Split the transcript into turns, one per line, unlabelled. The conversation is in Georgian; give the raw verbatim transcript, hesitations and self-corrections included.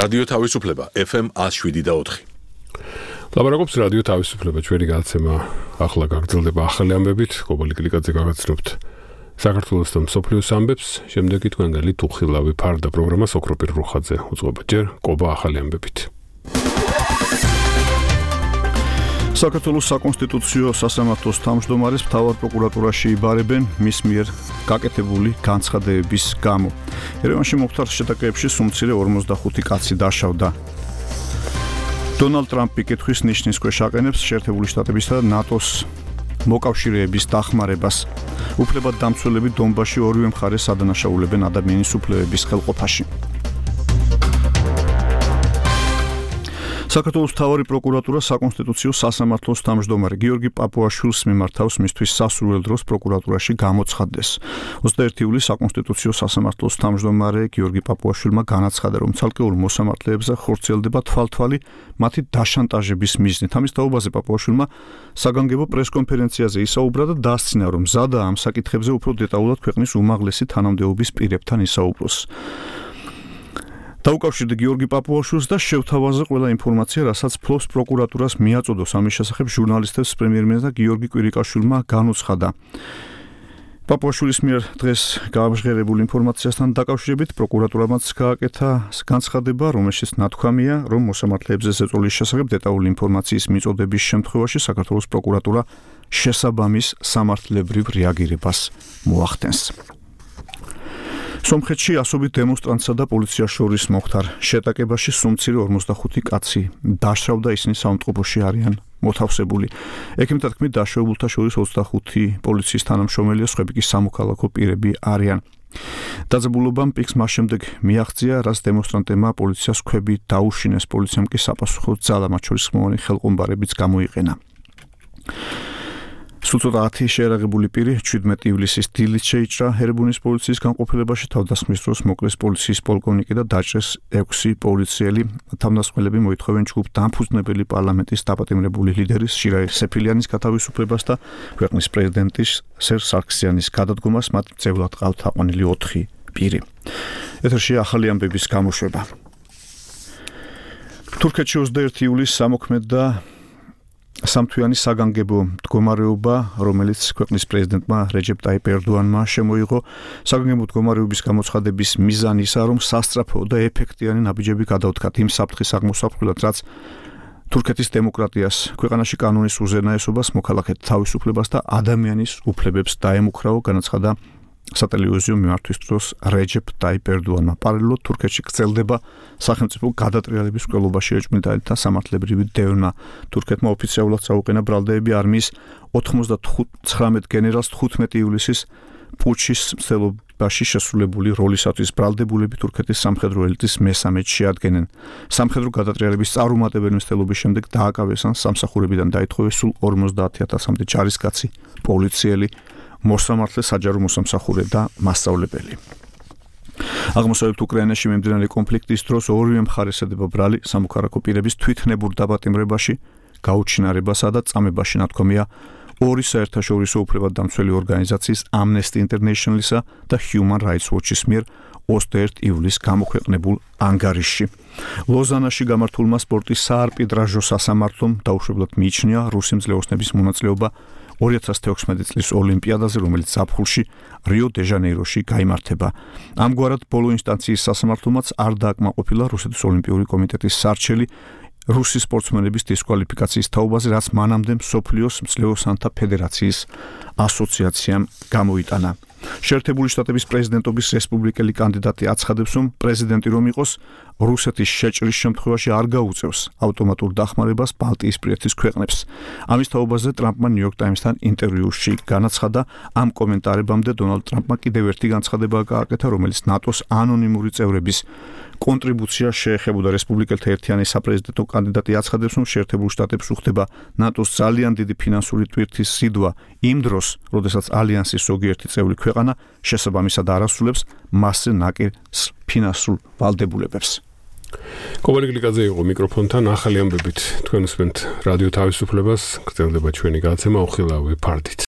რადიო თავისუფლება ეფ ემ ათს შვიდი და ოთხი.
ლაპარაკობს რადიო თავისუფლება, ჩვენი გადაცემა ახლა გაგრძელდება ახალი ამბებით, კობა ლიკლიაძე გაგაცნობთ საქართველოს და მსოფლიოს ამბებს, შემდეგი თქვენგანი თუხილავი ფარდა პროგრამას ოქროპირ რუხაძე უძღვება ჯერ კობა ახალი ამბებით.
საქართველოს საკონსტიტუციო სასამართლოს თავმჯდომარეს მთავარ პროკურატურაში იბარებენ მის მიერ გაკეთებული განცხადებების გამო. ერევანში მოხდარ შეტაკებებში სუმცირე ორმოცდახუთი კაცი დაშავდა. დონალდ ტრამპი კითხვის ნიშნის ქვეშ აყენებს შეერთებული შტატებისა და ნატოს მოკავშირეების დახმარებას. უფლებად დამცველები დონბასში ორივე მხარეს ადანაშაულებენ ადამიანის უფლებების ხელყოფაში. საქართველოს მთავარი პროკურატურა საკონსტიტუციო სასამართლოს თავმჯდომარე გიორგი პაპუაშვილს მიმართავს მისთვის სასურველ დროს პროკურატურაში გამოცხადდეს. ოცდაერთი ივლისს საკონსტიტუციო სასამართლოს თავმჯდომარე გიორგი პაპუაშვილმა განაცხადა, რომ ცალკეულ მოსამართლეებზე ხორციელდება თვალთვალი მათი დაშანტაჟების მიზნით. ამის თაობაზე პაპუაშვილმა საგანგებო პრესკონფერენციაზე ისაუბრა და დასცინა, რომ მზადაა ამ საკითხებზე უფრო დეტალურად ქვეყნის უმაღლესი თანამდებობის პირებთან ისაუბროს. დაუკავშირდა გიორგი პაპუაშვილს და შევთავაზე ყველა ინფორმაცია, რასაც ფლობს პროკურატურას მიაწოდოს. ამის შესახებ ჟურნალისტებს პრემიერ-მინისტრმა გიორგი კვირიკაშვილმა განუცხადა. პაპუაშვილის მიერ დღეს გამჟღერებულ ინფორმაციასთან დაკავშირებით პროკურატურამაც გააკეთა განცხადება, რომელშიც ნათქვამია, რომ მოსამართლეებზე ზეწოლის შესახებ დეტალური ინფორმაციის მიწოდების შემთხვევაში საქართველოს პროკურატურა შესაბამის სამართლებრივ რეაგირებას მოახდენს. სომხეთში ასობით დემონსტრანტსა და პოლიციას შორის მოხდარ შეტაკებაში სუმცირე ორმოცდახუთი კაცი დაშავდა, ისინი საავადმყოფოში არიან მოთავსებული. ექიმთა თქმით, დაშავებულთა შორის ოცდახუთი პოლიციის თანამშრომელია, სხვები კი სამოქალაქო პირები არიან. დაძაბულობამ პიკს მას შემდეგ მიაღწია, რაც დემონსტრანტებმა პოლიციას ქვები დაუშინეს, პოლიციამ კი საპასუხოდ ძალა, მათ შორის ხმოვანი ხელყომბარებიც გამოიყენა. სულ ცოტა ათი შეერაღებული პირი შვიდმეტი ივლისის დილით შეიჭრა ერებუნის პოლიციის განყოფილებაში, თავდასხმის დროს მოკლეს პოლიციის პოლკოვნიკი და დაჭრეს ექვსი პოლიციელი. თავდასხმელები მოითხოვენ ჯგუფ დამფუძნებელი პარლამენტის დაპატიმრებული ლიდერის შირაი სეფილიანის გათავისუფლებას და ქვეყნის პრეზიდენტის სერ სარქსიანის გადადგომას, მათ მძევლად ყავთ აყვანილი ოთხი პირი. ეთერში ახალი ამბების გამოშვება. თურქეთში ოცდაერთი ივლისს ამოქმედდა სამთვიანი საგანგებო მდგომარეობა, რომელიც ქვეყნის პრეზიდენტმა რეჯეპ ტაიპ ერდოანმა შემოიღო. საგანგებო მდგომარეობის გამოცხადების მიზანი ისაა, რომ სასწრაფო და ეფექტიანი ნაბიჯები გადაუდგათ იმ საფრთხის აღმოსაყრელად, რაც თურქეთის დემოკრატიას, ქვეყანაში კანონის უზენაესობას, მოქალაქეთა თავისუფლებას და ადამიანის უფლებებს დაემუქრაო, განაცხადა სატელევიზიო მიმართვის დროს რეჯეპ ტაიპ ერდოანმა. პარალელურად თურქეთში გრძელდება სახელმწიფო გადატრიალების მკვლელობაში ეჭვმიტანილთა სამართლებრივი დევნა. თურქეთმა ოფიციალურად წაუყენა ბრალდეები არმიის ოცდათვრამეტ გენერალს თხუთმეტი ივლისის პუჩის მცდელობაში შესრულებული როლისათვის. ბრალდებულები თურქეთის სამხედრო ელიტის მესამედს შეადგენენ. სამხედრო გადატრიალების წარუმატებელი მცდელობის შემდეგ დააკავეს ან სამსახურებიდან დაითხოვეს სულ ორმოცდაათი ათასამდე ჯარისკაცი, პოლიციელი, მოსამართლე, საჯარო მოსამსახურე და მასწავლებელი. აღმოსავლეთ უკრაინაში მიმდინარე კონფლიქტის დროს ორივე მხარეს ედება ბრალი სამოქალაქო პირების თვითნებურ დაპატიმრებაში, გაუჩინარებასა და წამებაში. ნათქვამია ორი საერთაშორისო უფლებად დამცველი ორგანიზაციის Amnesty International-ისა და Human Rights Watch-ის მიერ ოცდაერთი ივლისს გამოქვეყნებულ ანგარიშში. ლოზანაში გამართულმა სპორტის საარბიტრაჟო სასამართლომ დაუშვებლად მიიჩნია რუსი მძლეოსნების მონაწილეობა ორი ათას თექვსმეტი წლის ოლიმპიადაზე, რომელიც ზაფხულში რიო-დე-ჟანეიროში გაიმართება. ამგვარად ბოლო ინსტანციის სასამართლომაც არ დააკმაყოფილა რუსეთის ოლიმპიური კომიტეტის სარჩელი რუსი სპორტსმენების დისკვალიფიკაციის თაობაზე, რაც მანამდე მსოფლიოს მძლეოსანთა ფედერაციის ასოციაციამ გამოიტანა. შეერთებული შტატების პრეზიდენტობის რესპუბლიკელი კანდიდატი აცხადებს, რომ პრეზიდენტი რომ იყოს, რუსეთის შეჭრის შემთხვევაში არ გაუწევს ავტომატურ დახმარებას ბალტიისპირეთის ქვეყნებს. ამის თაობაზე ტრამპმა ნიუ-იორკ ტაიმსთან ინტერვიუში განაცხადა. ამ კომენტარებამდე დონალდ ტრამპმა კიდევ ერთი განცხადება გააკეთა, რომელიც ნატოს ანონიმური წევრების კონტრიბუცია შეეხებოდა. რესპუბლიკელთა ერთიანი საპრეზიდენტო კანდიდატი აცხადებს, რომ შეერთებულ შტატებს უხდება ნატოს ძალიან დიდი ფინანსური ტვირთის სიდვა იმ დროს, როდესაც ალიანსის ზოგიერთი წევრი ქვეყანა შესაბამისად არ ასრულებს მასზე ნაკერ ფინანსურ ვალდებულებებს.
კობა ლიკლიაძე იყო მიკროფონთან, ახალი ამბებით თქვენ უსმენთ რადიო თავისუფლებას, გრძელდება ჩვენი გადაცემა უხილავი ფარდით.